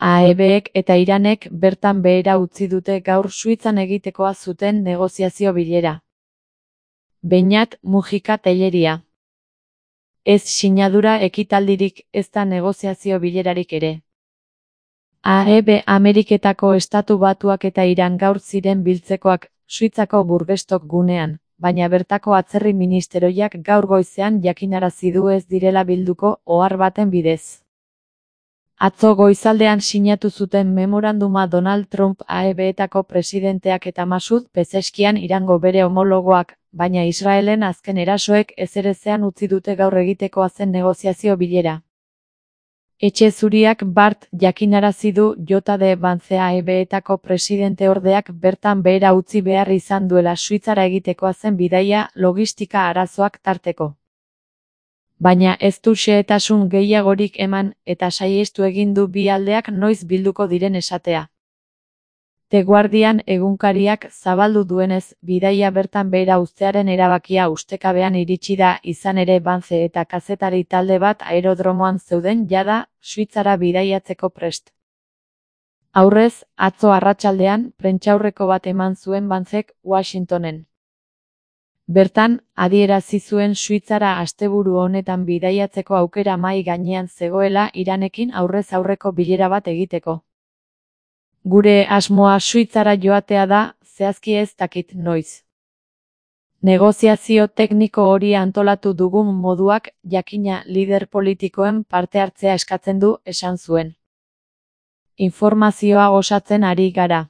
AEBek eta Iranek bertan behera utzi dute gaur Suitzan egitekoa zuten negoziazio bilera. Beñat Mujika Telleria. Ez sinadura ekitaldirik, ezta negoziazio bilerarik ere. AEB Ameriketako Estatu Batuak eta Iran gaur ziren biltzekoak, Suitzako Burgestok gunean, baina bertako atzerri ministerioak gaur goizean jakinarazi du ez direla bilduko ohar baten bidez. Atzo goizaldean sinatu zuten memoranduma Donald Trump AEBetako presidenteak eta Masud Pezeskian Irango bere homologoak, baina Israelen azken erasoek ezerezean utzi dute gaur egitekoa zen negoziazio bilera. Etxe Zuriak bart jakinarazi du J.D. Vance AEBetako presidenteordeak bertan behera utzi behar izan duela Suitzara egitekoa zen bidaia logistika arazoak tarteko. Baina ez du xehetasun gehiagorik eman eta saihestu egin du bi aldeak noiz bilduko diren esatea. The Guardian egunkariak zabaldu duenez, bidaia bertan behera uztearen erabakia ustekabean iritsi da, izan ere Vance eta kazetari talde bat aerodromoan zeuden jada, Suitzara bidaiatzeko prest. Aurrez, atzo arratsaldean, prentsaurreko bat eman zuen Vancek Washingtonen. Bertan, adierazi zuen Suitzara asteburu honetan bidaiatzeko aukera mahai gainean zegoela Iranekin aurrez aurreko bilera bat egiteko. Gure asmoa Suitzara joatea da, zehazki ez dakit noiz. Negoziazio tekniko hori antolatu dugun moduak, jakina lider politikoen parte hartzea eskatzen du, esan zuen. Informazioa osatzen ari gara.